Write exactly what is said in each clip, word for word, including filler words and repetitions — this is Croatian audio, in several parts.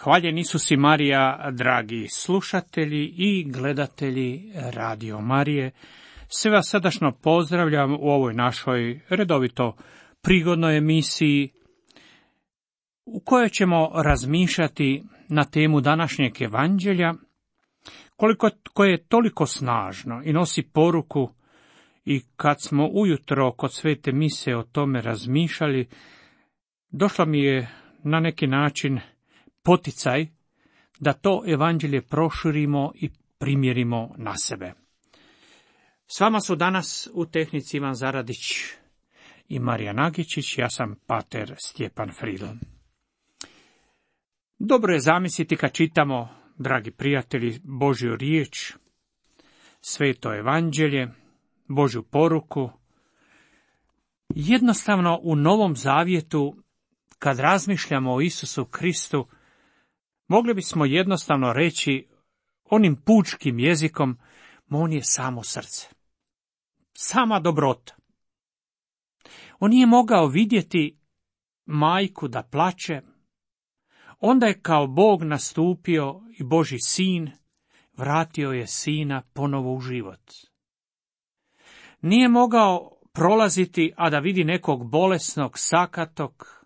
Hvaljen Isus i Marija, dragi slušatelji i gledatelji Radio Marije. Sve vas srdačno pozdravljam u ovoj našoj redovito prigodnoj emisiji u kojoj ćemo razmišljati na temu današnjeg evanđelja, koliko koje je toliko snažno i nosi poruku. I kad smo ujutro kod svete mise o tome razmišljali, došla mi je na neki način poticaj da to evanđelje proširimo i primjerimo na sebe. S vama su danas u tehnici Ivan Zaradić i Marija Nagičić, ja sam pater Stjepan Fridl. Dobro je zamisliti kad čitamo, dragi prijatelji, Božju riječ, sveto evanđelje, Božju poruku. Jednostavno u Novom Zavjetu, kad razmišljamo o Isusu Kristu, mogli bismo jednostavno reći onim pučkim jezikom, on je samo srce, sama dobrota. On nije mogao vidjeti majku da plače, onda je kao Bog nastupio i Božji sin, vratio je sina ponovo u život. Nije mogao prolaziti, a da vidi nekog bolesnog, sakatog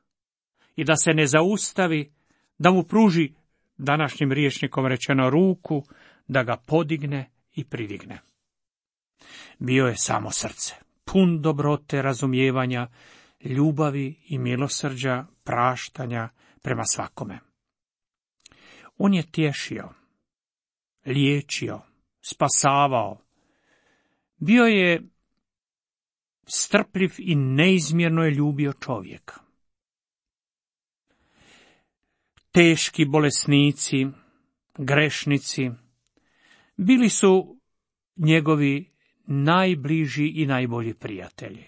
i da se ne zaustavi, da mu pruži, današnjim rječnikom rečeno, ruku, da ga podigne i pridigne. Bio je samo srce, pun dobrote, razumijevanja, ljubavi i milosrđa, praštanja prema svakome. On je tješio, liječio, spasavao. Bio je strpljiv i neizmjerno je ljubio čovjeka. Teški bolesnici, grešnici, bili su njegovi najbliži i najbolji prijatelji.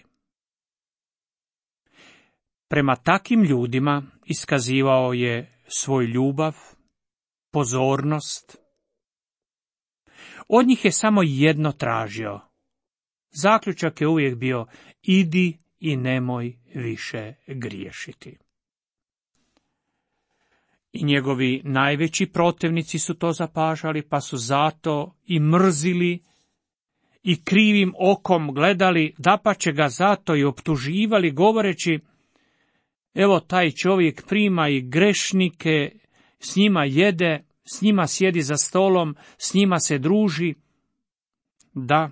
Prema takim ljudima iskazivao je svoj ljubav, pozornost. Od njih je samo jedno tražio. Zaključak je uvijek bio: idi i nemoj više griješiti. I njegovi najveći protivnici su to zapažali, pa su zato i mrzili i krivim okom gledali, dapače ga zato i optuživali, govoreći: evo, taj čovjek prima i grešnike, s njima jede, s njima sjedi za stolom, s njima se druži. Da,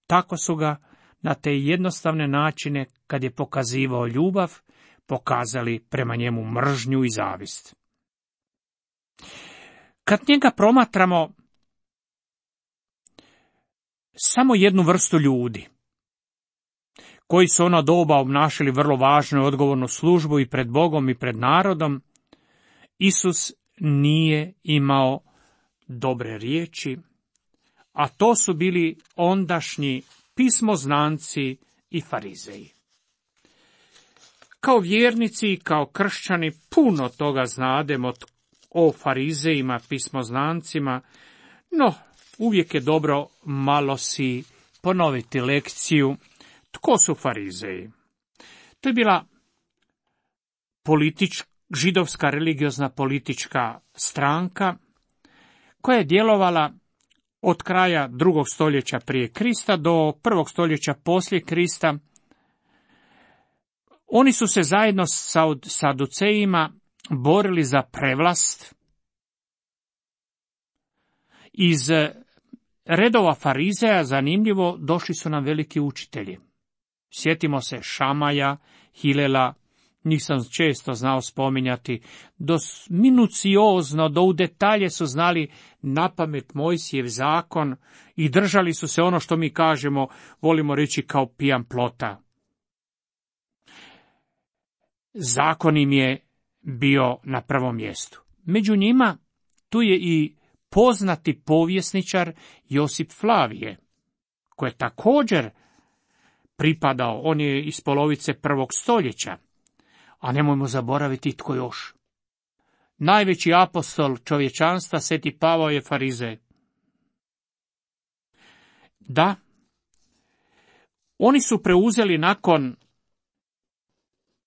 tako su ga na te jednostavne načine, kad je pokazivao ljubav, pokazali prema njemu mržnju i zavist. Kad njega promatramo samo jednu vrstu ljudi, koji su ono doba obnašali vrlo važnu i odgovornu službu i pred Bogom i pred narodom, Isus nije imao dobre riječi, a to su bili ondašnji pismoznanci i farizeji. Kao vjernici i kao kršćani puno toga znademo o farizejima, pismoznancima, no uvijek je dobro malo si ponoviti lekciju. Tko su farizeji? To je bila politička, židovska religiozna politička stranka koja je djelovala od kraja drugog stoljeća prije Krista do prvog stoljeća poslije Krista. Oni su se zajedno sa saducejima borili za prevlast. Iz redova farizeja, zanimljivo, došli su nam veliki učitelji. Sjetimo se Šamaja, Hilela, njih sam često znao spominjati, do minuciozno, do u detalje su znali napamet Mojsijev zakon i držali su se, ono što mi kažemo, volimo reći, kao pijan plota. Zakon im je bio na prvom mjestu. Među njima tu je i poznati povjesničar Josip Flavije, koji je također pripadao, on je iz polovice prvog stoljeća, a nemojmo zaboraviti tko još. Najveći apostol čovječanstva, Sveti Pavao, je farizej. Da, oni su preuzeli nakon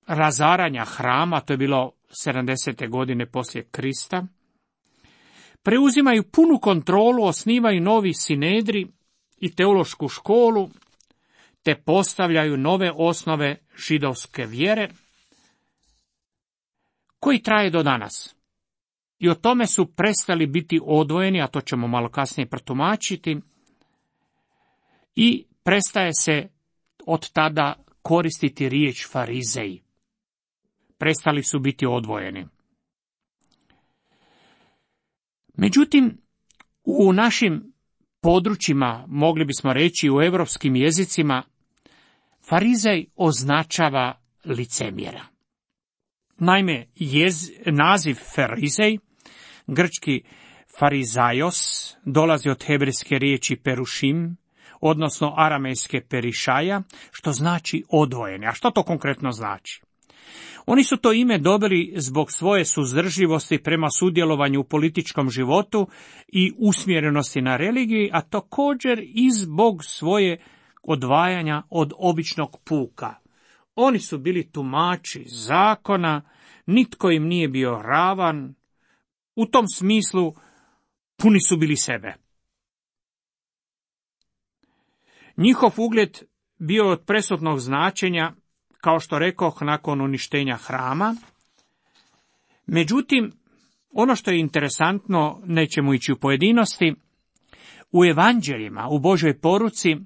razaranja hrama, to je bilo sedamdesete godine poslije Krista, preuzimaju punu kontrolu, osnivaju novi sinedri i teološku školu, te postavljaju nove osnove židovske vjere, koji traje do danas. I o tome su prestali biti odvojeni, a to ćemo malo kasnije protumačiti, i prestaje se od tada koristiti riječ farizeji. Prestali su biti odvojeni. Međutim, u našim područjima, mogli bismo reći u europskim jezicima, farizej označava licemjera. Naime, jez, naziv farizej, grčki farizaios, dolazi od hebrejske riječi perušim, odnosno aramejske perišaja, što znači odvojeni. A što to konkretno znači? Oni su to ime dobili zbog svoje suzdržljivosti prema sudjelovanju u političkom životu i usmjerenosti na religiji, a također i zbog svoje odvajanja od običnog puka. Oni su bili tumači zakona, nitko im nije bio ravan, u tom smislu puni su bili sebe. Njihov ugled bio od presudnog značenja, kao što rekoh, nakon uništenja hrama. Međutim, ono što je interesantno, nećemo ići u pojedinosti, u evanđeljima, u Božoj poruci,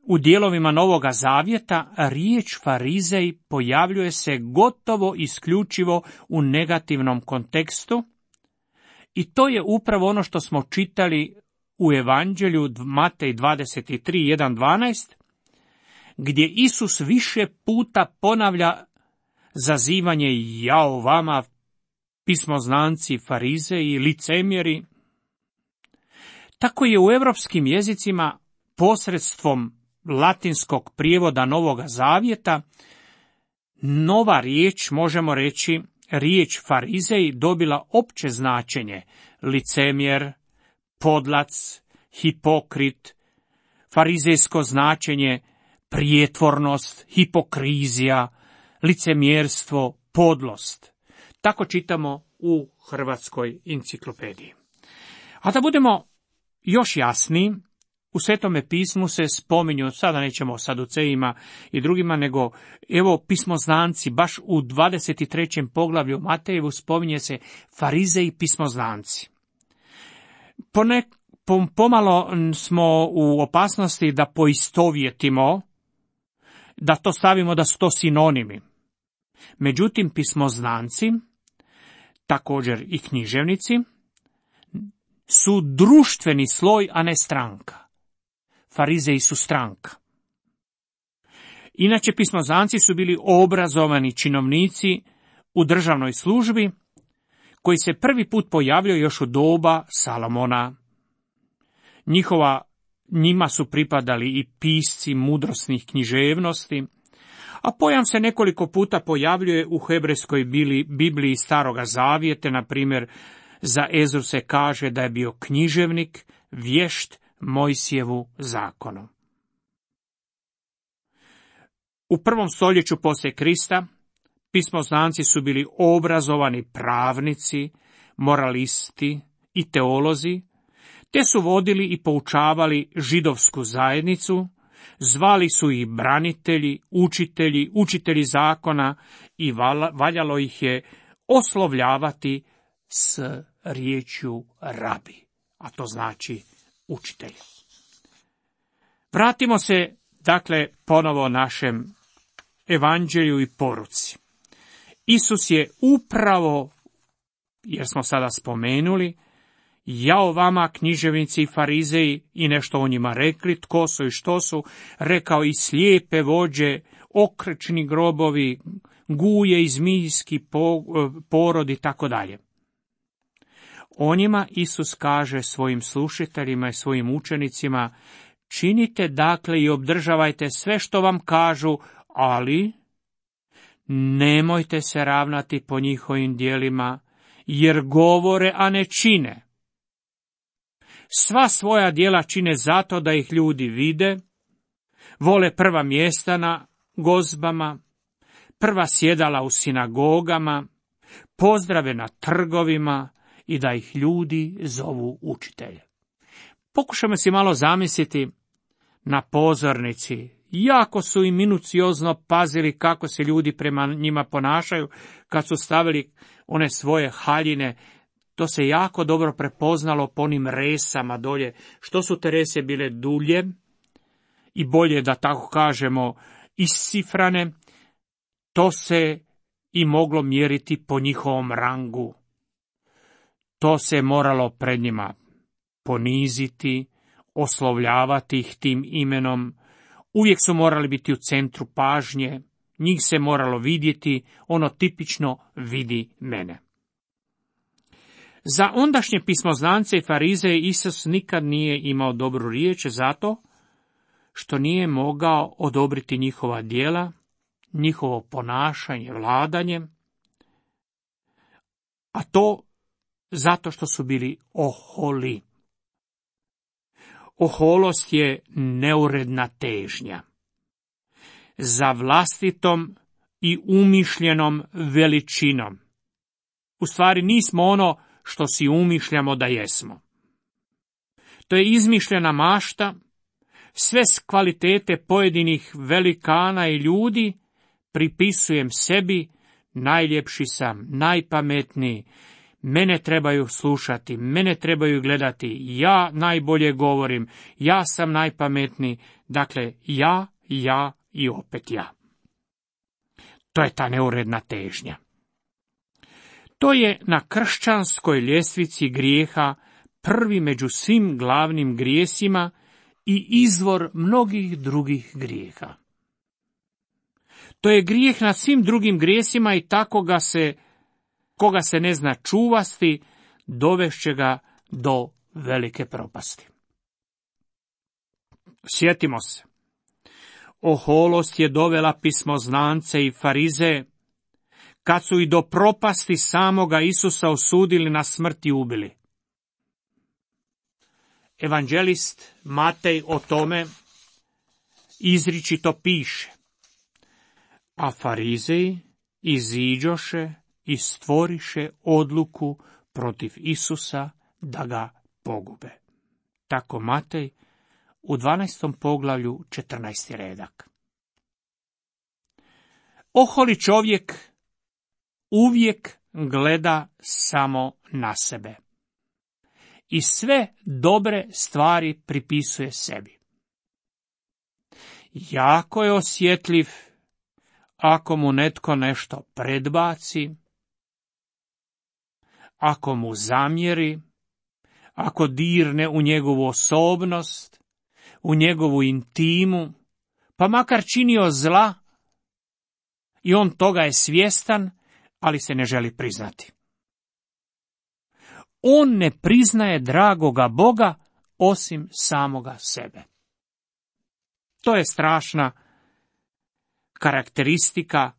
u dijelovima Novoga Zavjeta, riječ farizej pojavljuje se gotovo isključivo u negativnom kontekstu, i to je upravo ono što smo čitali u evanđelju Matej dvadeset tri, jedan do dvanaest, gdje Isus više puta ponavlja zazivanje jao vama, pismoznanci, farizeji, licemjeri. Tako je u europskim jezicima posredstvom latinskog prijevoda Novoga Zavjeta nova riječ, možemo reći, riječ farizej dobila opće značenje licemjer, podlac, hipokrit, farizejsko značenje prijetvornost, hipokrizija, licemjerstvo, podlost. Tako čitamo u Hrvatskoj enciklopediji. A da budemo još jasniji, u Svetome pismu se spominju, sada nećemo o saducejima i drugima, nego evo pismoznanci, baš u dvadeset trećem poglavlju Matejevu spominje se farizeji pismoznanci. Ponek, pomalo smo u opasnosti da poistovjetimo, da to stavimo da su to sinonimi. Međutim, pismoznanci, također i književnici, su društveni sloj, a ne stranka. Farizeji su stranka. Inače, pismoznanci su bili obrazovani činovnici u državnoj službi, koji se prvi put pojavljaju još u doba Salomona. Njihova, njima su pripadali i pisci mudrosnih književnosti, a pojam se nekoliko puta pojavljuje u hebrejskoj Bibliji Staroga Zavjeta, na primjer za Ezru se kaže da je bio književnik, vješt Mojsijevu zakonu. U prvom stoljeću poslije Krista pismoznanci su bili obrazovani pravnici, moralisti i teolozi, te su vodili i poučavali židovsku zajednicu, zvali su ih branitelji, učitelji, učitelji zakona i valjalo ih je oslovljavati s riječju rabi, a to znači učitelj. Vratimo se, dakle, ponovo našem evanđelju i poruci. Isus je upravo, jer smo sada spomenuli, jao vama književnici i farizeji, i nešto o njima rekli, tko su i što su, rekao i slijepe vođe, okrečni grobovi, guje i zmijski porod i tako dalje. O njima Isus kaže svojim slušateljima i svojim učenicima, činite dakle i obdržavajte sve što vam kažu, ali nemojte se ravnati po njihovim djelima, jer govore, a ne čine. Sva svoja djela čine zato da ih ljudi vide, vole prva mjesta na gozbama, prva sjedala u sinagogama, pozdrave na trgovima i da ih ljudi zovu učitelje. Pokušamo si malo zamisliti na pozornici. Jako su i minuciozno pazili kako se ljudi prema njima ponašaju kad su stavili one svoje haljine. To se jako dobro prepoznalo po onim resama dolje. Što su te rese bile dulje i bolje, da tako kažemo, iscifrane, to se i moglo mjeriti po njihovom rangu. To se moralo pred njima poniziti, oslovljavati ih tim imenom. Uvijek su morali biti u centru pažnje, njih se moralo vidjeti, ono tipično vidi mene. Za ondašnje pismoznance i farizeje Isus nikad nije imao dobru riječ zato što nije mogao odobriti njihova djela, njihovo ponašanje, vladanje, a to zato što su bili oholi. Oholost je neuredna težnja za vlastitom i umišljenom veličinom. U stvari nismo ono što si umišljamo da jesmo. To je izmišljena mašta, sve s kvalitete pojedinih velikana i ljudi pripisujem sebi, najljepši sam, najpametniji, mene trebaju slušati, mene trebaju gledati, ja najbolje govorim, ja sam najpametniji, dakle ja, ja i opet ja. To je ta neuredna težnja. To je na kršćanskoj ljestvici grijeha prvi među svim glavnim grijesima i izvor mnogih drugih grijeha. To je grijeh nad svim drugim grijesima i tako ga se, koga se ne zna čuvasti, dovešće ga do velike propasti. Sjetimo se, oholost je dovela pismoznance i farizeje, kad su i do propasti samoga Isusa osudili na smrt i ubili. Evanđelist Matej o tome izričito piše: a farizeji iziđoše i stvoriše odluku protiv Isusa da ga pogube. Tako Matej u dvanaestom poglavlju četrnaesti redak. Oholi čovjek uvijek gleda samo na sebe i sve dobre stvari pripisuje sebi. Jako je osjetljiv ako mu netko nešto predbaci, ako mu zamjeri, ako dirne u njegovu osobnost, u njegovu intimu, pa makar činio zla, i on toga je svjestan, ali se ne želi priznati. On ne priznaje dragoga Boga osim samoga sebe. To je strašna karakteristika,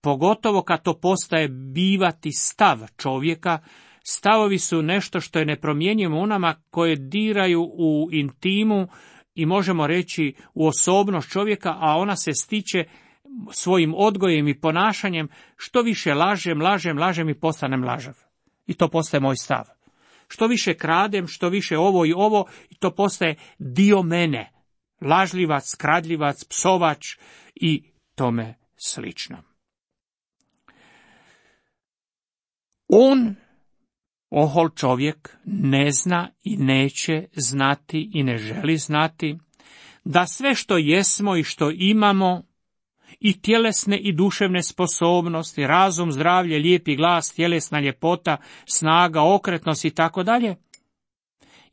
pogotovo kad to postaje bivati stav čovjeka. Stavovi su nešto što je nepromjenjivo u nama, koje diraju u intimu i možemo reći u osobnost čovjeka, a ona se stiče svojim odgojem i ponašanjem. Što više lažem, lažem, lažem i postanem lažav. I to postaje moj stav. Što više kradem, što više ovo i ovo, i to postaje dio mene. Lažljivac, kradljivac, psovač i tome slično. On, ohol čovjek, ne zna i neće znati i ne želi znati da sve što jesmo i što imamo, i tjelesne i duševne sposobnosti, razum, zdravlje, lijepi glas, tjelesna ljepota, snaga, okretnost i tako dalje,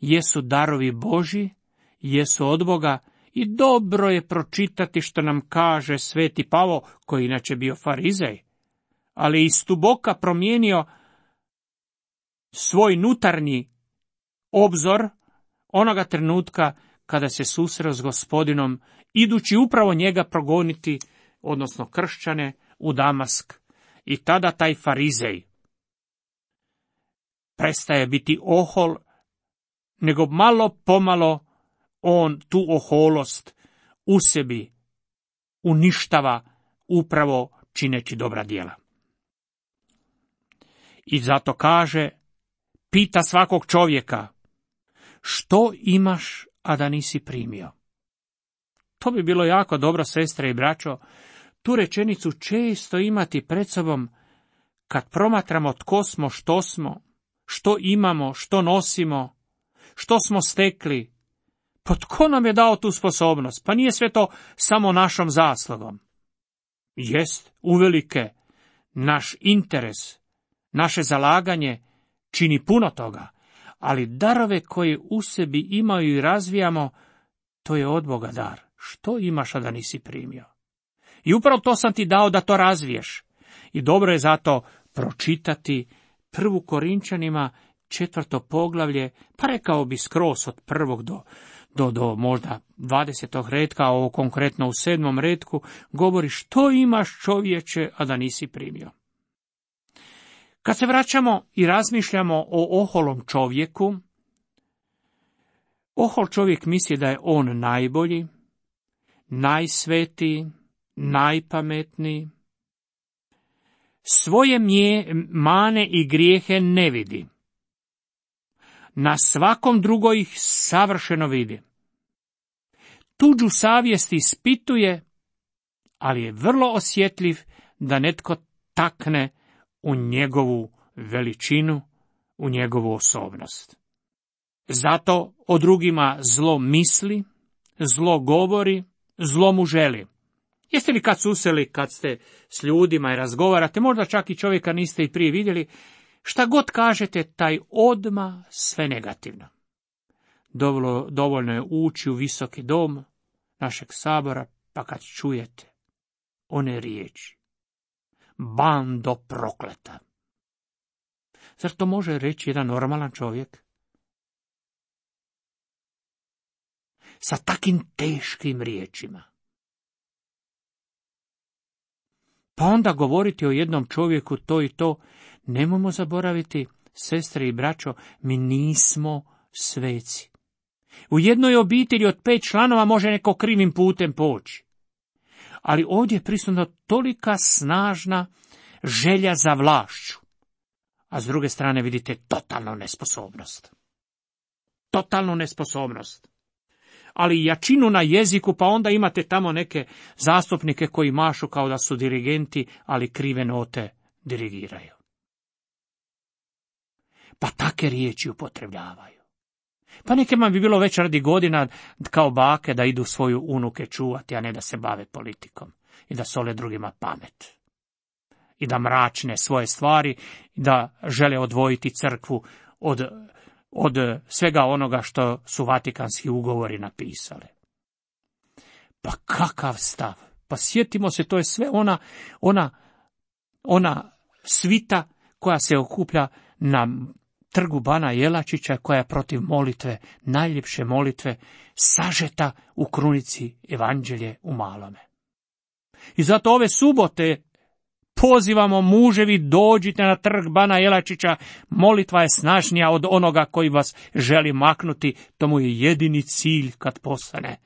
jesu darovi Božji, jesu od Boga, i dobro je pročitati što nam kaže sveti Pavao, koji inače bio farizej, ali iz tuboka promijenio svoj nutarnji obzor onoga trenutka kada se susreo s Gospodinom, idući upravo njega progoniti, odnosno kršćane, u Damask. I tada taj farizej prestaje biti ohol, nego malo pomalo on tu oholost u sebi uništava upravo čineći dobra djela. I zato kaže, pita svakog čovjeka, što imaš, a da nisi primio? To bi bilo jako dobro, sestre i braćo, tu rečenicu često imati pred sobom kad promatramo tko smo, što smo, što imamo, što nosimo, što smo stekli. Pa tko nam je dao tu sposobnost? Pa nije sve to samo našom zaslugom. Jest, uvelike, naš interes, naše zalaganje čini puno toga, ali darove koje u sebi imaju i razvijamo, to je od Boga dar. Što imaš, a da nisi primio? I upravo to sam ti dao da to razviješ. I dobro je zato pročitati prvu Korinčanima četvrto poglavlje, pa rekao bi skroz od prvog do, do, do možda dvadesetog redka, a ovo konkretno u sedmom redku, govori što imaš, čovječe, a da nisi primio. Kad se vraćamo i razmišljamo o oholom čovjeku, ohol čovjek misli da je on najbolji, najsvetiji, najpametniji. Svoje mje, mane i grijehe ne vidi. Na svakom drugo ih savršeno vidi. Tuđu savjest ispituje, ali je vrlo osjetljiv da netko takne u njegovu veličinu, u njegovu osobnost. Zato o drugima zlo misli, zlo govori, zlo mu želi. Jeste li kad susreli, kad ste s ljudima i razgovarate, možda čak i čovjeka niste i prije vidjeli, šta god kažete, taj odma sve negativno. Dovoljno, dovoljno je ući u visoki dom našeg sabora, pa kad čujete one riječi, bando prokleta. Zar to može reći jedan normalan čovjek? Sa takim teškim riječima. Pa onda govoriti o jednom čovjeku to i to, nemojmo zaboraviti, sestre i braćo, mi nismo sveci. U jednoj obitelji od pet članova može neko krivim putem poći. Ali ovdje je prisutna tolika snažna želja za vlašću. A s druge strane vidite totalnu nesposobnost. Totalnu nesposobnost. Ali jačinu na jeziku, pa onda imate tamo neke zastupnike koji mašu kao da su dirigenti, ali krive note dirigiraju. Pa take riječi upotrebljavaju. Pa nekima bi bilo već radi godina kao bake da idu svoju unuke čuvati, a ne da se bave politikom i da sole drugima pamet. I da mračne svoje stvari, i da žele odvojiti crkvu od, od svega onoga što su Vatikanski ugovori napisali. Pa kakav stav? Pa sjetimo se, to je sve ona, ona, ona svita koja se okuplja na trgu Bana Jelačića, koja je protiv molitve, najljepše molitve, sažeta u krunici Evanđelje u malome. I zato ove subote pozivamo muževi, dođite na trg Bana Jelačića, molitva je snažnija od onoga koji vas želi maknuti, to mu je jedini cilj kad postane.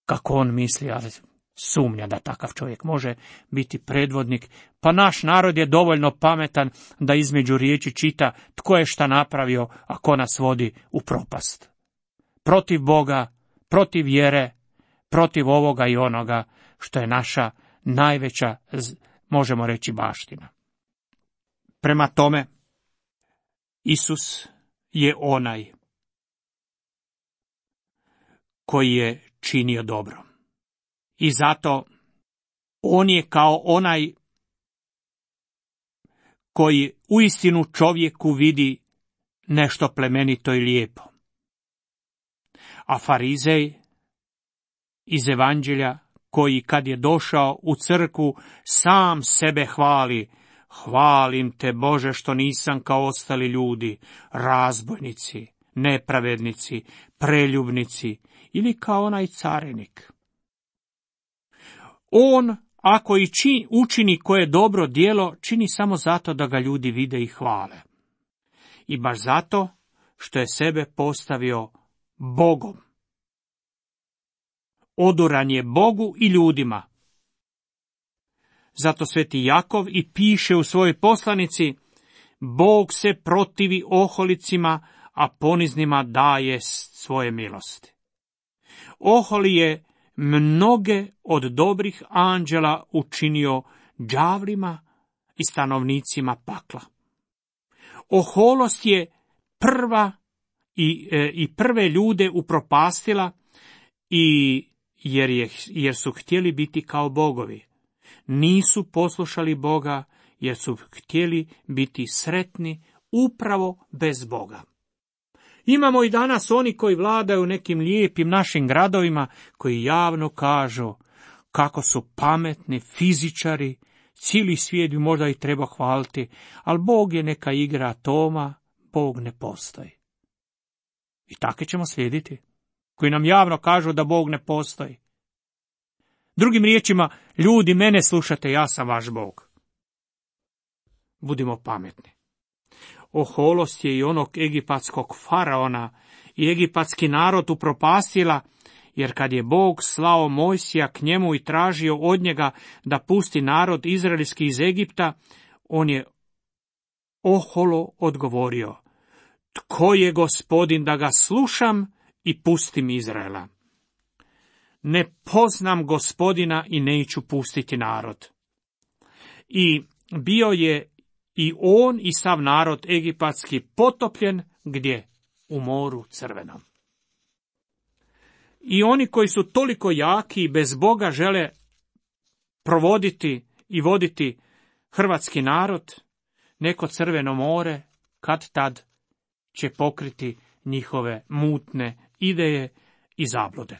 Kako on misli, ali sumnja da takav čovjek može biti predvodnik, pa naš narod je dovoljno pametan da između riječi čita tko je šta napravio, a ko nas vodi u propast. Protiv Boga, protiv vjere, protiv ovoga i onoga, što je naša najveća, možemo reći, baština. Prema tome, Isus je onaj koji je činio dobro. I zato on je kao onaj koji uistinu čovjeku vidi nešto plemenito i lijepo. A farizej iz Evanđelja, koji kad je došao u crkvu sam sebe hvali, hvalim te Bože što nisam kao ostali ljudi, razbojnici, nepravednici, preljubnici ili kao onaj carinik. On, ako i čini, učini koje dobro djelo, čini samo zato da ga ljudi vide i hvale. I baš zato što je sebe postavio Bogom. Oduran je Bogu i ljudima. Zato sveti Jakov i piše u svojoj poslanici: Bog se protivi oholicima, a poniznima daje svoje milosti. Oholi je mnoge od dobrih anđela učinio đavlima i stanovnicima pakla. Oholost je prva i, e, i prve ljude upropastila, i jer, je, jer su htjeli biti kao bogovi. Nisu poslušali Boga, jer su htjeli biti sretni upravo bez Boga. Imamo i danas oni koji vladaju nekim lijepim našim gradovima, koji javno kažu kako su pametni fizičari, cijeli svijet bi možda i treba hvaliti, ali Bog je neka igra atoma, Bog ne postoji. I take ćemo slijediti, koji nam javno kažu da Bog ne postoji. Drugim riječima, ljudi, mene slušate, ja sam vaš Bog. Budimo pametni. Oholost je i onog egipatskog faraona i egipatski narod upropastila, jer kad je Bog slao Mojsija k njemu i tražio od njega da pusti narod izraelski iz Egipta, on je oholo odgovorio: Tko je Gospodin da ga slušam i pustim Izraela? Ne poznam Gospodina i neću pustiti narod. I bio je i on i sav narod egipatski potopljen gdje? U moru Crvenom. I oni koji su toliko jaki i bez Boga žele provoditi i voditi hrvatski narod, neko Crveno more kad tad će pokriti njihove mutne ideje i zablude.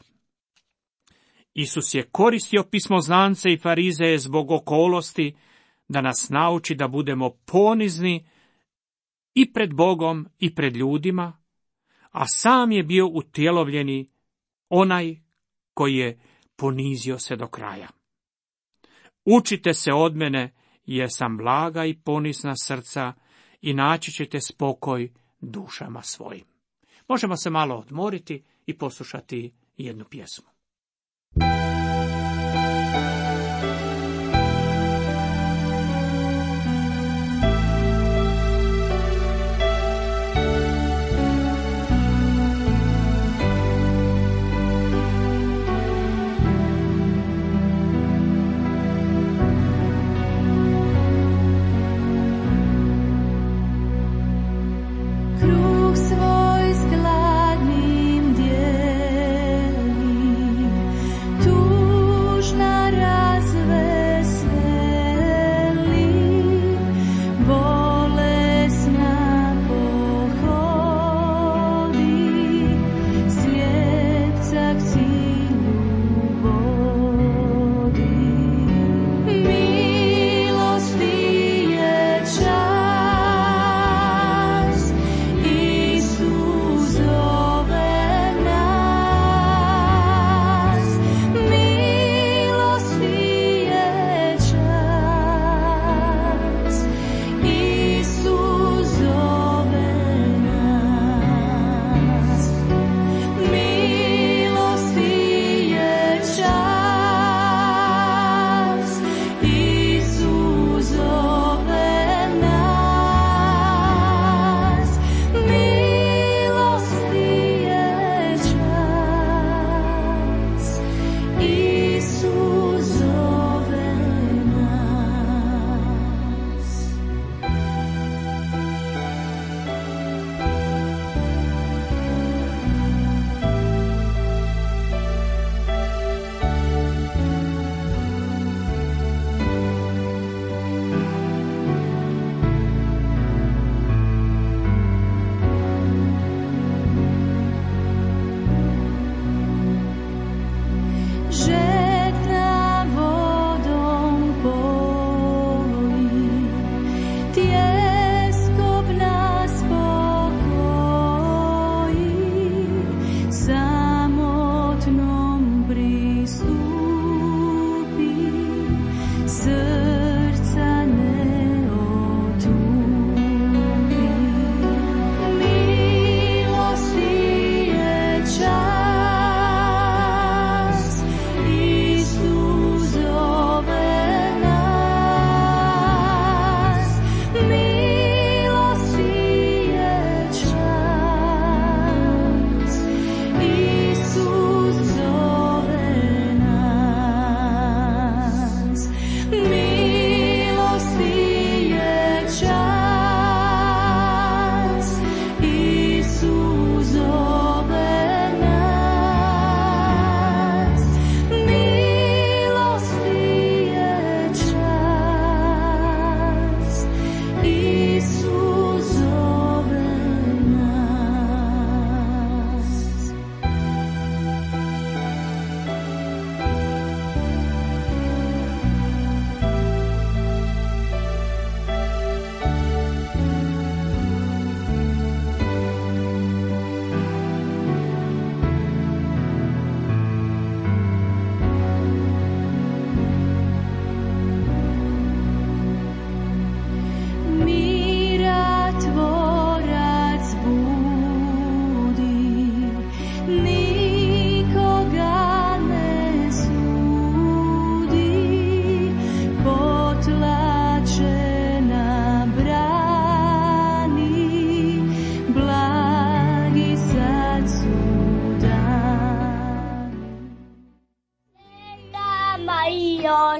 Isus je koristio pismoznance i farizeje zbog okolosti da nas nauči da budemo ponizni i pred Bogom i pred ljudima, a sam je bio utjelovljeni onaj koji je ponizio se do kraja. Učite se od mene, jer sam blaga i ponizna srca, i naći ćete spokoj dušama svojim. Možemo se malo odmoriti i poslušati jednu pjesmu. Svoj s gladnim dijeli, tu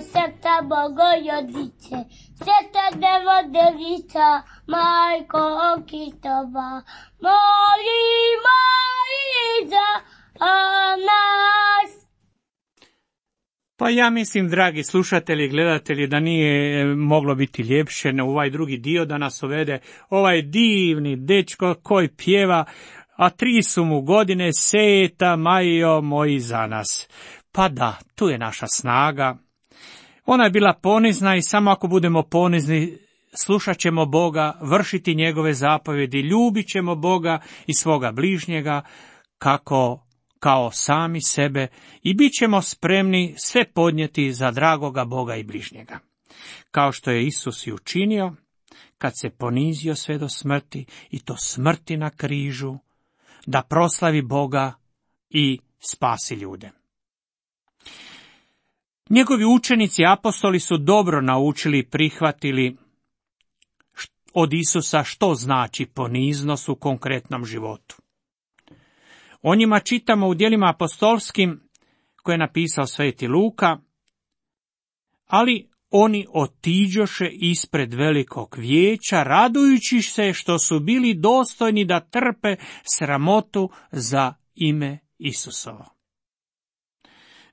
Sveta Bogorodice, Sveta Devodelica, Majko Kristova, molimo i za nas. Pa ja mislim, dragi slušatelji i gledatelji, da nije moglo biti ljepše na ovaj drugi dio da nas uvede ovaj divni dečko koji pjeva, a tri su mu godine, Seta Majo moji za nas. Pa da, tu je naša snaga. Ona je bila ponizna i samo ako budemo ponizni, slušat ćemo Boga, vršiti njegove zapovjedi, ljubit ćemo Boga i svoga bližnjega kako kao sami sebe i bit ćemo spremni sve podnijeti za dragoga Boga i bližnjega. Kao što je Isus i učinio, kad se ponizio sve do smrti, i to smrti na križu, da proslavi Boga i spasi ljude. Njegovi učenici apostoli su dobro naučili i prihvatili od Isusa što znači poniznost u konkretnom životu. O njima čitamo u djelima apostolskim koje je napisao sveti Luka, ali oni otiđoše ispred velikog vijeća, radujući se što su bili dostojni da trpe sramotu za ime Isusovo.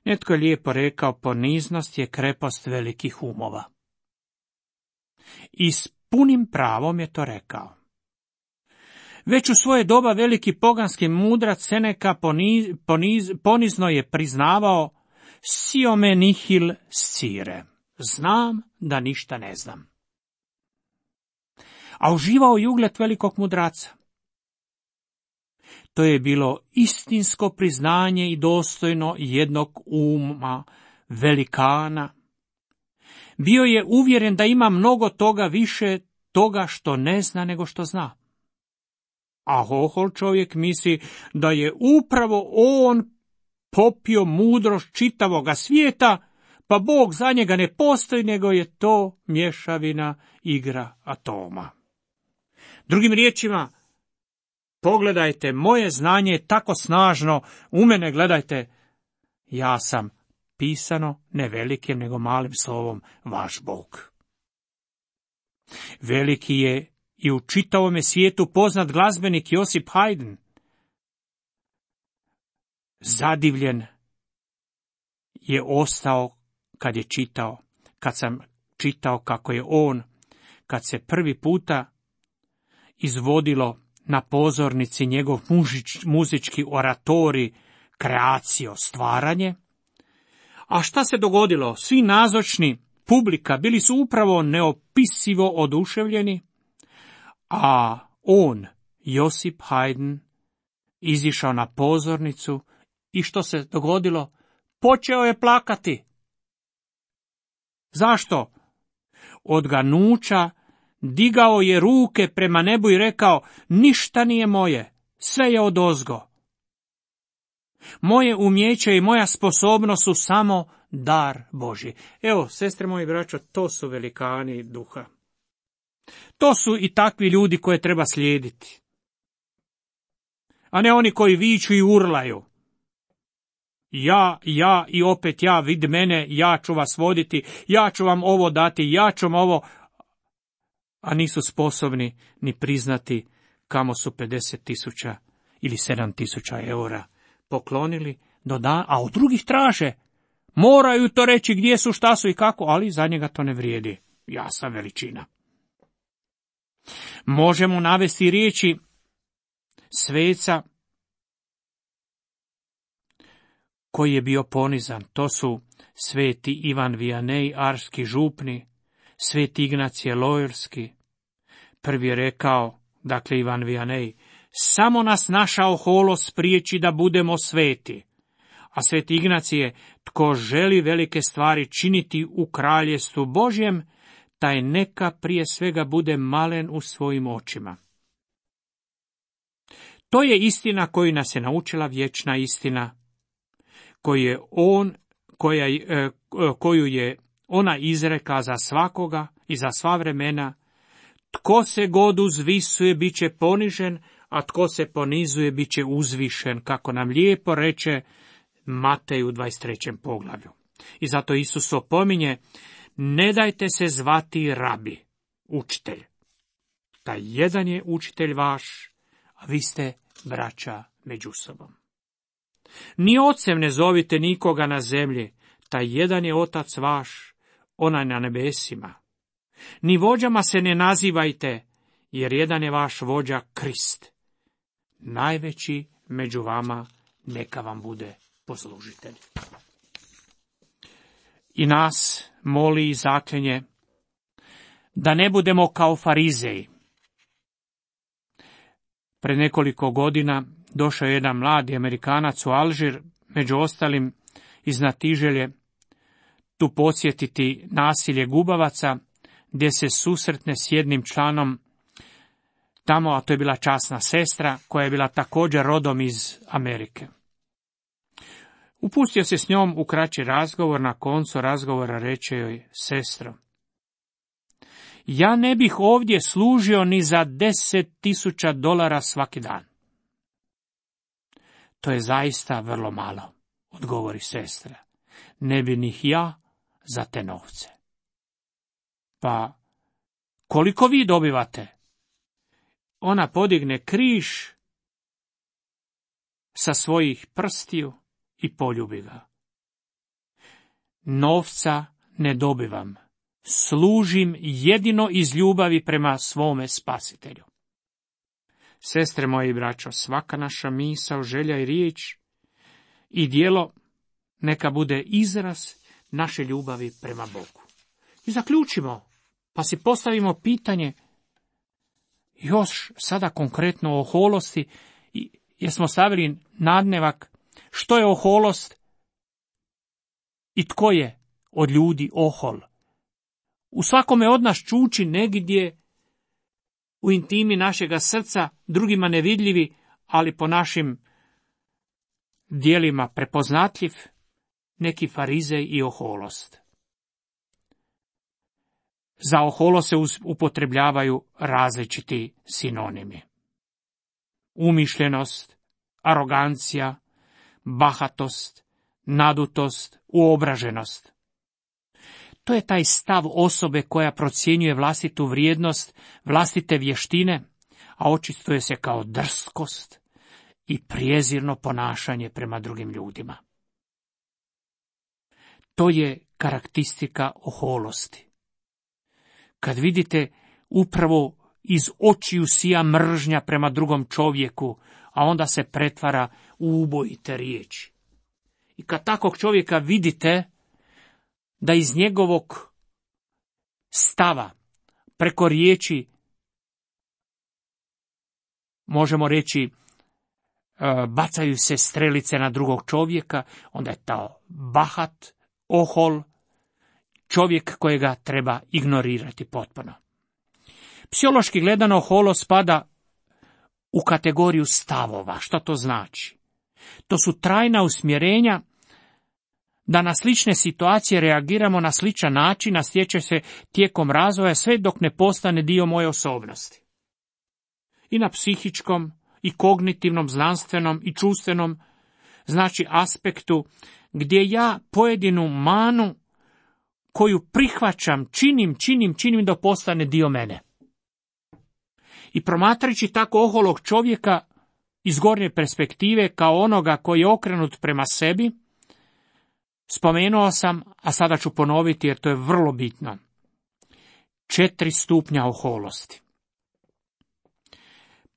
Netko je lijepo rekao, poniznost je krepost velikih umova. I s punim pravom je to rekao. Već u svoje doba veliki poganski mudrac Seneka poniz, poniz, ponizno je priznavao siome nihil scire. Znam da ništa ne znam. A uživao je ugled velikog mudraca. To je bilo istinsko priznanje i dostojno jednog uma velikana. Bio je uvjeren da ima mnogo toga više toga što ne zna nego što zna. A ohol čovjek misli da je upravo on popio mudrost čitavoga svijeta, pa Bog za njega ne postoji, nego je to mješavina igra atoma. Drugim riječima, pogledajte, moje znanje je tako snažno, u mene gledajte, ja sam pisano ne velikim nego malim slovom vaš Bog. Veliki je i u čitavome svijetu poznat glazbenik Josip Haydn. Zadivljen je ostao kad je čitao, kad sam čitao kako je on, kad se prvi puta izvodilo na pozornici njegov mužič, muzički oratori, kreacio, stvaranje. A šta se dogodilo? Svi nazočni, publika, bili su upravo neopisivo oduševljeni, a on, Josip Haydn, izišao na pozornicu i što se dogodilo? Počeo je plakati. Zašto? Od ganuća digao je ruke prema nebu i rekao, ništa nije moje, sve je odozgo. Moje umjeće i moja sposobnost su samo dar Božji. Evo, sestre moji braćo, to su velikani duha. To su i takvi ljudi koje treba slijediti. A ne oni koji viču i urlaju. Ja, ja i opet ja, vid mene, ja ću vas voditi, ja ću vam ovo dati, ja ću vam ovo, a nisu sposobni ni priznati kamo su pedeset tisuća ili sedam tisuća eura poklonili do dana, a od drugih traže. Moraju to reći gdje su, šta su i kako, ali za njega to ne vrijedi. Ja sam veličina. Možemo navesti riječi sveca koji je bio ponizan. To su sveti Ivan Vianej, arski župni, sveti Ignacije Loyolski. Prvi je rekao, dakle Ivan Vianej, samo nas naša oholost spriječi da budemo sveti. A sveti Ignacije, tko želi velike stvari činiti u kraljestvu Božjem, taj neka prije svega bude malen u svojim očima. To je istina koju nas je naučila vječna istina, koju je on, koja, koju je ona izreka za svakoga i za sva vremena. Tko se god uzvisuje, bit će ponižen, a tko se ponizuje, bit će uzvišen, kako nam lijepo reče Matej u dvadeset trećem poglavlju. I zato Isus opominje, ne dajte se zvati rabi, učitelj. Taj jedan je učitelj vaš, a vi ste braća među sobom. Ni ocem ne zovite nikoga na zemlji, taj jedan je otac vaš, onaj na nebesima. Ni vođama se ne nazivajte, jer jedan je vaš vođa Krist. Najveći među vama neka vam bude poslužitelj. I nas moli i zaklinje da ne budemo kao farizeji. Pred nekoliko godina došao je jedan mladi Amerikanac u Alžir, među ostalim iz Natiželje, tu posjetiti nasilje gubavaca, gdje se susretne s jednim članom tamo, a to je bila časna sestra, koja je bila također rodom iz Amerike. Upustio se s njom u kraći razgovor, na koncu razgovora reče joj, sestro, ja ne bih ovdje služio ni za deset tisuća dolara svaki dan. To je zaista vrlo malo, odgovori sestra. Ne bi ni ja za te novce. Pa, koliko vi dobivate? Ona podigne križ sa svojih prstiju i poljubi ga. Novca ne dobivam, služim jedino iz ljubavi prema svome spasitelju. Sestre moje i braćo, svaka naša misao, želja i riječ i djelo neka bude izraz naše ljubavi prema Bogu. I zaključimo, pa si postavimo pitanje još sada konkretno o oholosti, jer smo stavili nadnevak što je oholost i tko je od ljudi ohol. U svakome od nas čuči negdje u intimi našega srca, drugima nevidljivi, ali po našim dijelima prepoznatljiv, neki farizej i oholost. Za oholo se upotrebljavaju različiti sinonimi. Umišljenost, arogancija, bahatost, nadutost, uobraženost. To je taj stav osobe koja procjenjuje vlastitu vrijednost, vlastite vještine, a očituje se kao drskost i prijezirno ponašanje prema drugim ljudima. To je karakteristika oholosti. Kad vidite upravo iz očiju sija mržnja prema drugom čovjeku, a onda se pretvara u ubojite riječi. I kad takvog čovjeka vidite, da iz njegovog stava preko riječi, možemo reći, bacaju se strelice na drugog čovjeka, onda je to bahat, ohol, čovjek kojega treba ignorirati potpuno. Psihološki gledano, oholost spada u kategoriju stavova. Što to znači? To su trajna usmjerenja da na slične situacije reagiramo na sličan način, a stječe se tijekom razvoja sve dok ne postane dio moje osobnosti. I na psihičkom, i kognitivnom, znanstvenom, i čustvenom, znači aspektu gdje ja pojedinu manu koju prihvaćam, činim, činim, činim da postane dio mene. I promatrajući tako oholog čovjeka iz gornje perspektive kao onoga koji je okrenut prema sebi, spomenuo sam, a sada ću ponoviti jer to je vrlo bitno. Četiri stupnja oholosti.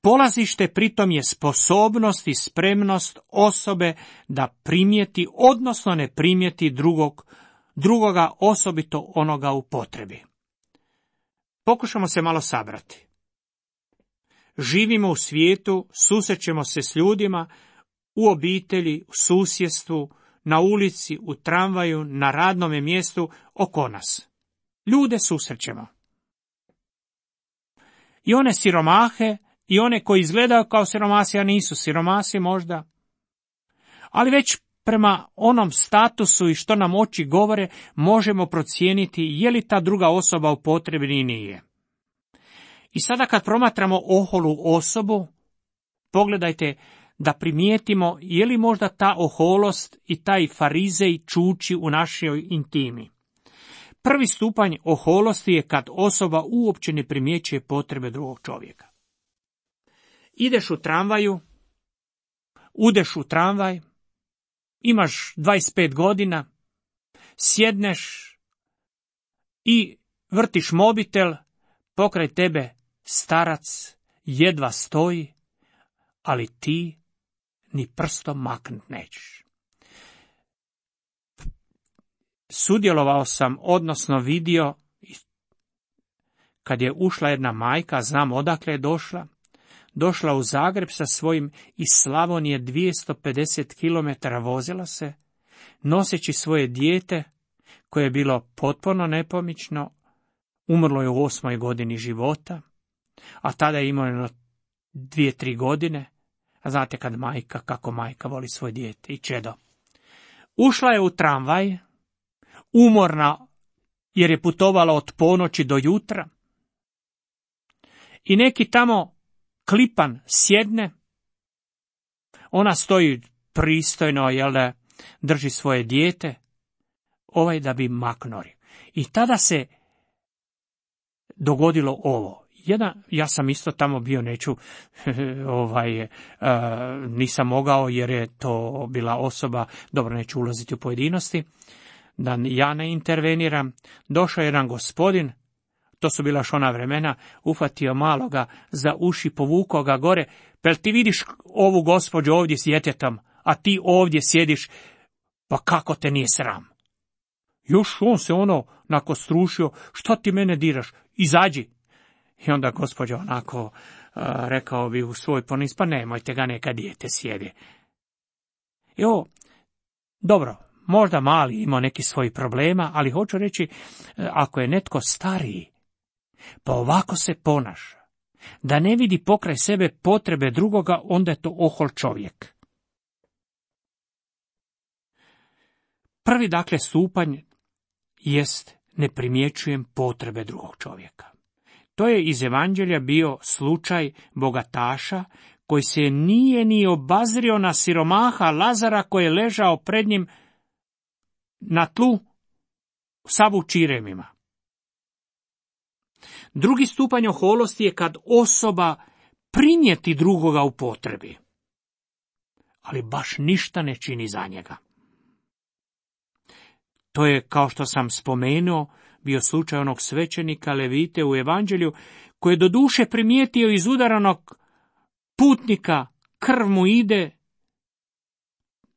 Polazište pritom je sposobnost i spremnost osobe da primijeti, odnosno ne primijeti drugog, drugoga, osobito onoga u potrebi. Pokušamo se malo sabrati. Živimo u svijetu, susrećemo se s ljudima, u obitelji, u susjedstvu, na ulici, u tramvaju, na radnome mjestu, oko nas. Ljude susrećemo. I one siromahe, i one koji izgledaju kao siromasi, a nisu siromasi možda. Ali već prema onom statusu i što nam oči govore, možemo procijeniti je li ta druga osoba u potrebi ili nije. I sada kad promatramo oholu osobu, pogledajte da primijetimo je li možda ta oholost i taj farizej čuči u našoj intimi. Prvi stupanj oholosti je kad osoba uopće ne primjećuje potrebe drugog čovjeka. Ideš u tramvaju, udeš u tramvaj, imaš dvadeset pet godina, sjedneš i vrtiš mobitel, pokraj tebe starac jedva stoji, ali ti ni prstom maknut nećeš. Sudjelovao sam, odnosno vidio, kad je ušla jedna majka, znam odakle je došla, došla u Zagreb sa svojim iz Slavonije dvjesto pedeset kilometara vozila se, noseći svoje dijete, koje je bilo potpuno nepomično, umrlo je u osmoj godini života, a tada je imao jedno dvije, tri godine, a znate kad majka, kako majka voli svoje dijete i čedo. Ušla je u tramvaj, umorna jer je putovala od ponoći do jutra, i neki tamo klipan sjedne, ona stoji pristojno, jel da, drži svoje dijete, ovaj da bi maknuli. I tada se dogodilo ovo. Jedan, ja sam isto tamo bio, neću, ovaj, uh, nisam mogao jer je to bila osoba, dobro, neću ulaziti u pojedinosti, da ja ne interveniram. Došao je jedan gospodin, to su bila još ona vremena, ufatio maloga za uši, povukao ga gore, pel ti vidiš ovu gospođu ovdje s djetetom, a ti ovdje sjediš, pa kako te nije sram? Još on se ono nako strušio, što ti mene diraš, izađi. I onda gospođa onako, uh, rekao bi u svoj ponis, pa nemojte ga, neka dijete sjede. Jo, dobro, možda mali ima neki svoj problema, ali hoću reći, ako je netko stariji, pa ovako se ponaša, da ne vidi pokraj sebe potrebe drugoga, onda je to ohol čovjek. Prvi, dakle, stupanj jest ne primjećujem potrebe drugog čovjeka. To je iz Evanđelja bio slučaj bogataša koji se nije ni obazrio na siromaha Lazara koji je ležao pred njim na tlu sav u čiremima. Drugi stupanj oholosti je kad osoba primijeti drugoga u potrebi, ali baš ništa ne čini za njega. To je, kao što sam spomenuo, bio slučaj onog svećenika Levite u Evanđelju, koji je do duše primijetio iz udaranog putnika, krv mu ide,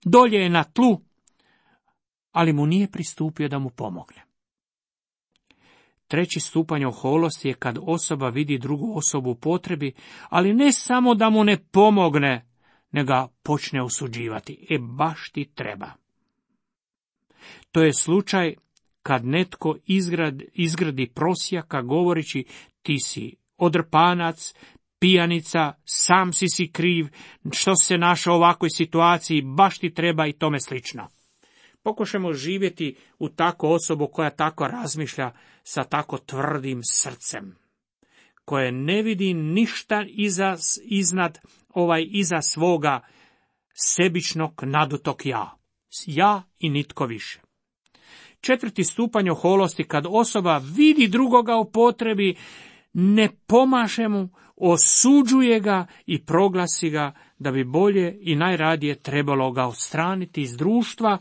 dolje je na tlu, ali mu nije pristupio da mu pomogne. Treći stupanj oholosti je kad osoba vidi drugu osobu u potrebi, ali ne samo da mu ne pomogne, nego ga počne osuđivati. E, baš ti treba. To je slučaj kad netko izgradi, izgradi prosjaka govoreći ti si odrpanac, pijanica, sam si si kriv, što se našao u ovakvoj situaciji, baš ti treba i tome slično. Pokušajmo živjeti u takvu osobu koja tako razmišlja sa tako tvrdim srcem, koje ne vidi ništa iza, iznad, ovaj, iza svoga sebičnog nadutog ja. Ja i nitko više. Četvrti stupanj oholosti, kad osoba vidi drugoga u potrebi, ne pomaže mu, osuđuje ga i proglasi ga da bi bolje i najradije trebalo ga odstraniti iz društva,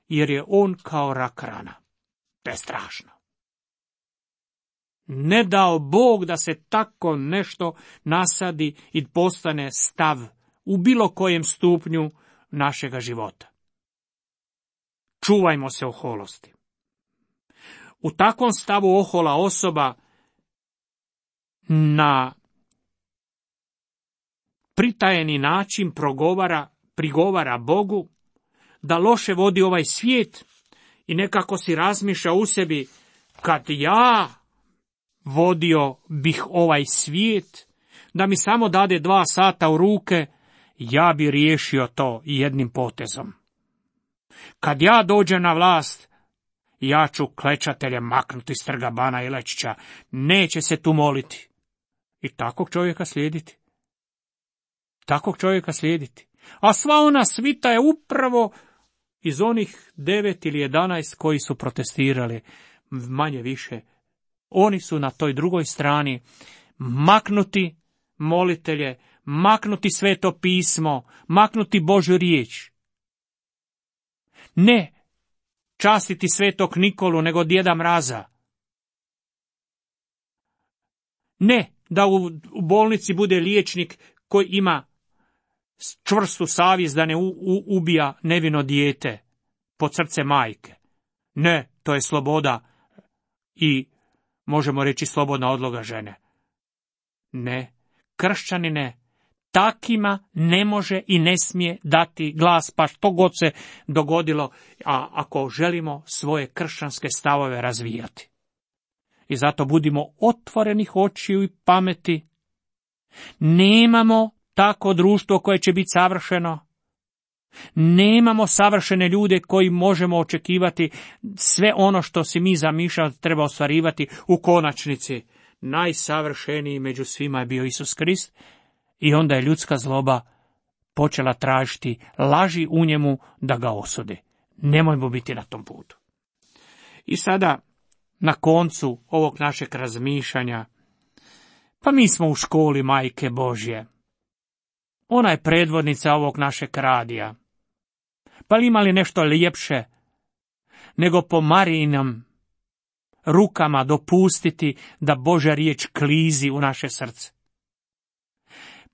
jer je on kao rak rana. To je strašno. Ne dao Bog da se tako nešto nasadi i postane stav u bilo kojem stupnju našega života. Čuvajmo se oholosti. U takvom stavu ohola osoba na pritajeni način progovara, prigovara Bogu da loše vodi ovaj svijet i nekako si razmišlja u sebi, kad ja vodio bih ovaj svijet, da mi samo dade dva sata u ruke, ja bi riješio to jednim potezom. Kad ja dođem na vlast, ja ću klečatelje maknuti s trga Bana Jelačića, neće se tu moliti. I takvog čovjeka slijediti. Takvog čovjeka slijediti. A sva ona svita je upravo iz onih devet ili jedanaest koji su protestirali, manje više. Oni su na toj drugoj strani maknuti molitelje, maknuti Sveto pismo, maknuti Božju riječ. Ne častiti Svetog Nikolu, nego Djeda Mraza. Ne da u, u bolnici bude liječnik koji ima čvrstu savjest da ne u, u, ubija nevino dijete pod srce majke. Ne, to je sloboda i možemo reći slobodna odloga žene. Ne, kršćanine, takima ne može i ne smije dati glas, pa što god se dogodilo, a ako želimo svoje kršćanske stavove razvijati. I zato budimo otvorenih očiju i pameti. Nemamo tako društvo koje će biti savršeno. Nemamo savršene ljude koji možemo očekivati sve ono što si mi zamišljamo treba ostvarivati u konačnici. Najsavršeniji među svima je bio Isus Krist i onda je ljudska zloba počela tražiti laži u njemu da ga osudi. Nemojmo biti na tom putu. I sada, na koncu ovog našeg razmišljanja, pa mi smo u školi Majke Božje. Ona je predvodnica ovog našeg radija. Pa li ima li nešto ljepše nego po Marijinom rukama dopustiti da Božja riječ klizi u naše srce?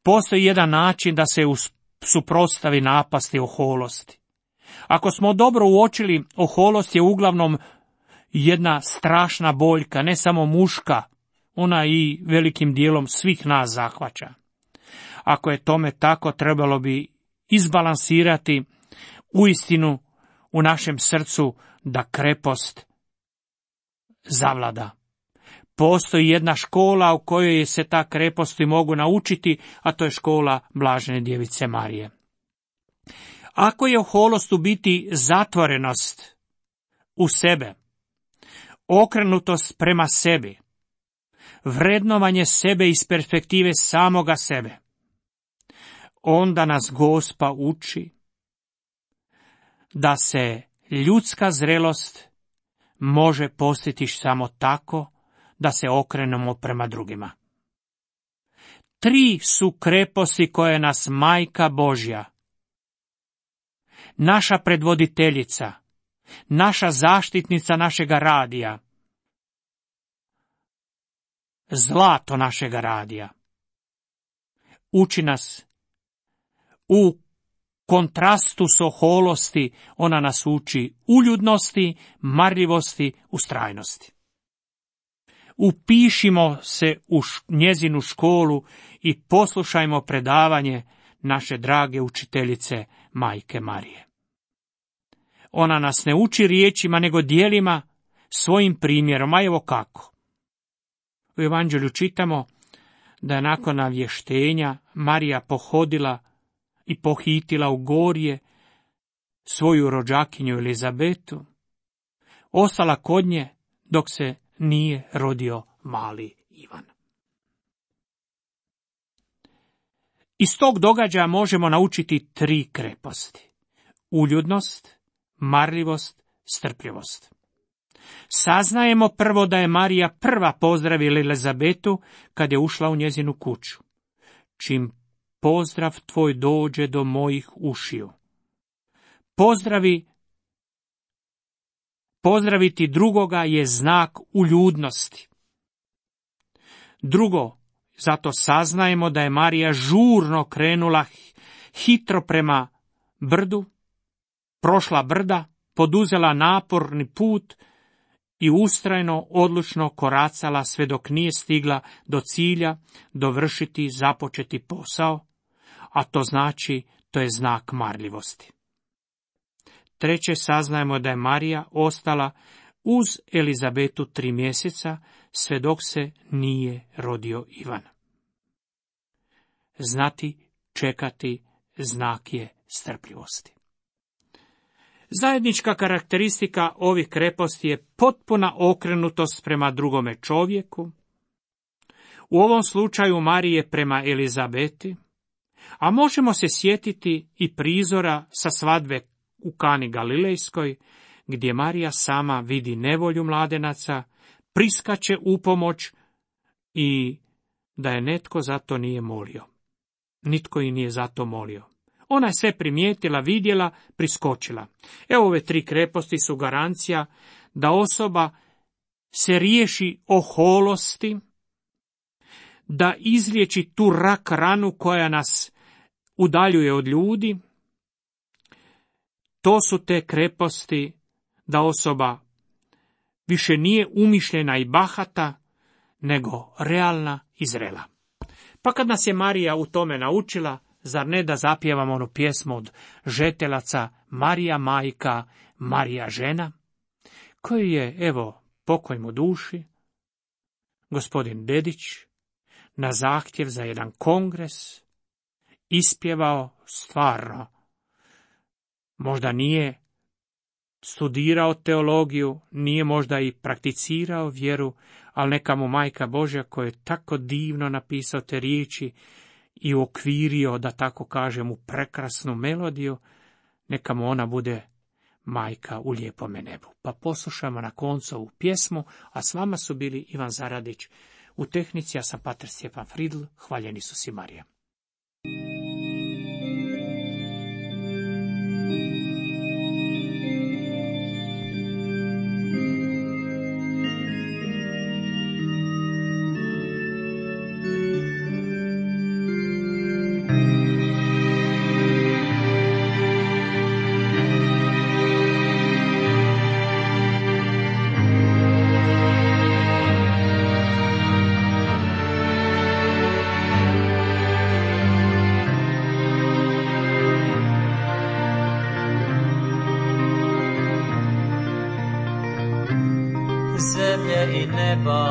Postoji jedan način da se suprotstavi napasti oholosti. Ako smo dobro uočili, oholost je uglavnom jedna strašna boljka, ne samo muška, ona i velikim dijelom svih nas zahvaća. Ako je tome tako, trebalo bi izbalansirati uistinu u našem srcu da krepost zavlada. Postoji jedna škola u kojoj se ta kreposti mogu naučiti, a to je škola Blažene Djevice Marije. Ako je oholost u biti zatvorenost u sebe, okrenutost prema sebi, vrednovanje sebe iz perspektive samoga sebe, onda nas Gospa uči da se ljudska zrelost može postići samo tako da se okrenemo prema drugima. Tri su kreposti koje nas Majka Božja, naša predvoditeljica, naša zaštitnica našega radija, zlato našega radija, uči nas u kontrastu s oholosti, ona nas uči uljudnosti, marljivosti, ustrajnosti. Upišimo se u njezinu školu i poslušajmo predavanje naše drage učiteljice Majke Marije. Ona nas ne uči riječima, nego djelima, svojim primjerom, a evo kako. U Evanđelju čitamo da je nakon navještenja Marija pohodila i pohitila u gorje svoju rođakinju Elizabetu, ostala kod nje dok se nije rodio mali Ivan. Iz tog događaja možemo naučiti tri kreposti: uljudnost, marljivost, strpljivost. Saznajemo prvo da je Marija prva pozdravila Elizabetu kad je ušla u njezinu kuću. Čim pozdrav tvoj dođe do mojih ušiju. Pozdravi, pozdraviti drugoga je znak uljudnosti. Drugo, zato saznajemo da je Marija žurno krenula hitro prema brdu, prošla brda, poduzela naporni put i ustrajno, odlučno koracala sve dok nije stigla do cilja dovršiti započeti posao, a to znači, to je znak marljivosti. Treće, saznajemo da je Marija ostala uz Elizabetu tri mjeseca, sve dok se nije rodio Ivan. Znati, čekati, znak je strpljivosti. Zajednička karakteristika ovih kreposti je potpuna okrenutost prema drugome čovjeku, u ovom slučaju Marije prema Elizabeti, A možemo se sjetiti i prizora sa svadbe u Kani Galilejskoj, gdje Marija sama vidi nevolju mladenaca, priskače u pomoć i da je netko zato nije molio. Nitko i nije zato molio. Ona je sve primijetila, vidjela, priskočila. Evo ove tri kreposti su garancija da osoba se riješi oholosti, da izliječi tu rak ranu koja nas udaljuje od ljudi. To su te kreposti da osoba više nije umišljena i bahata, nego realna i zrela. Pa kad nas je Marija u tome naučila, zar ne da zapjevamo onu pjesmu od Žetelaca Marija majka, Marija žena, koju je, evo, pokoj mu duši, gospodin Dedić, na zahtjev za jedan kongres, ispjevao stvarno. Možda nije studirao teologiju, nije možda i prakticirao vjeru, ali neka mu Majka Božja koja je tako divno napisao te riječi i uokvirio, da tako kažem, u prekrasnu melodiju, neka mu ona bude majka u lijepome nebu. Pa poslušamo na koncu ovu pjesmu, a s vama su bili Ivan Zaradić u tehnici, ja sam pater Stjepan Fridl, hvaljeni su si Marija. Zemlje i neba,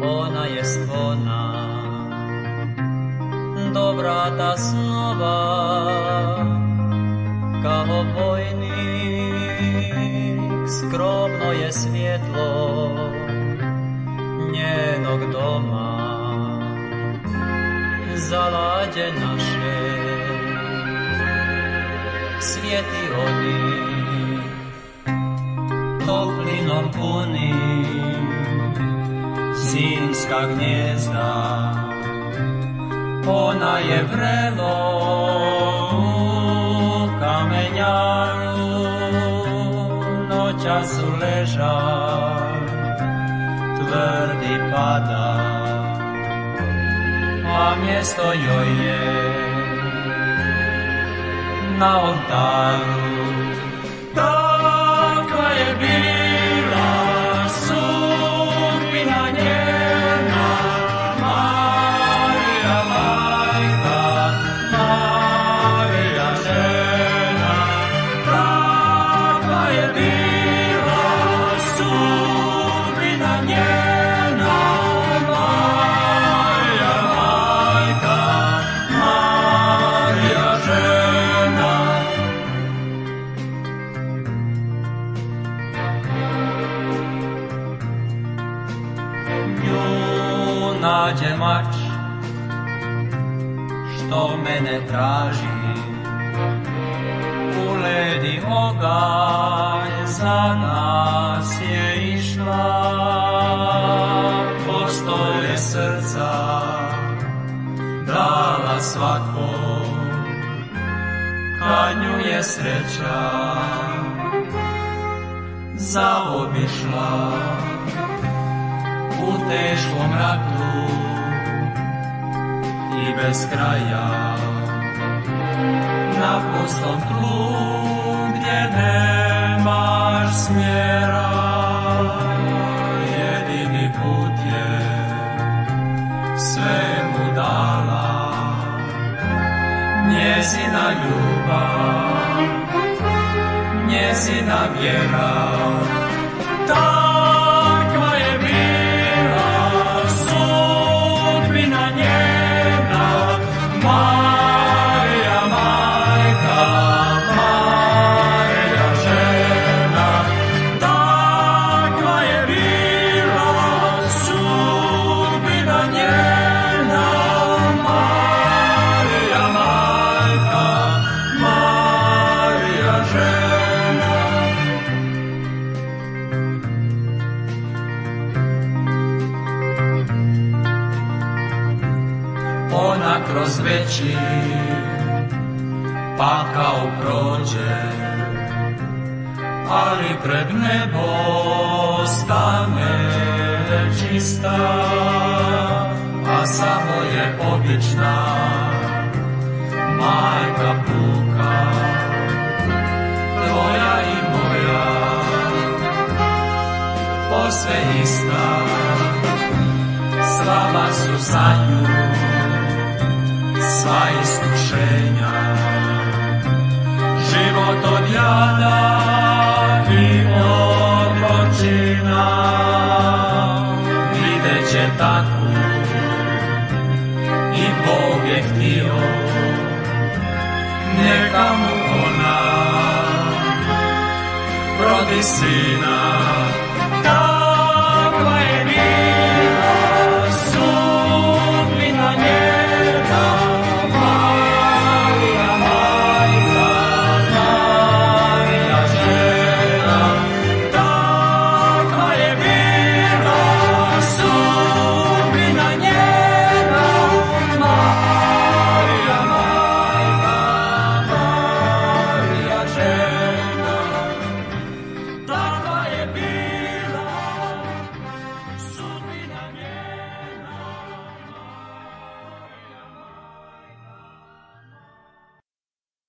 ona je spona, do vrata snova, kao vojnik, skromno je svjetlo njenog doma, zalađe naše, svijeti oni, toplinom punim, zimska gnjezda, ona je vrelo u kamenjaru, noćas su leža, tvrdi pada, a mjesto joj je na oltaru. Takva je bila sudbina njena, Marija majka, Marija žena. Takva je bila sudbina njena, Marija majka, Marija žena. Nađe mač, što mene traži, u ledi oganj za nas je išla, postolje srca dala svakom, kad nju je sreća zaobišla. U teškom ratu i bez kraja, na pustom tlu gdje nemaš smjera, jedini put je sve mu dala njezina ljubav, njezina vjera. Takva je bila sudbina njena, Marija majka, Marija žena. Takva je bila sudbina njena, Marija kroz veći pakao prođe, ali pred nebo stane čista, a samo je obična majka puka, tvoja i moja, posve ista, slaba su za nju sva iskušenja, život od jada i opročina, vidjet će takvu i Bog je htio, neka mu ona rodi sina.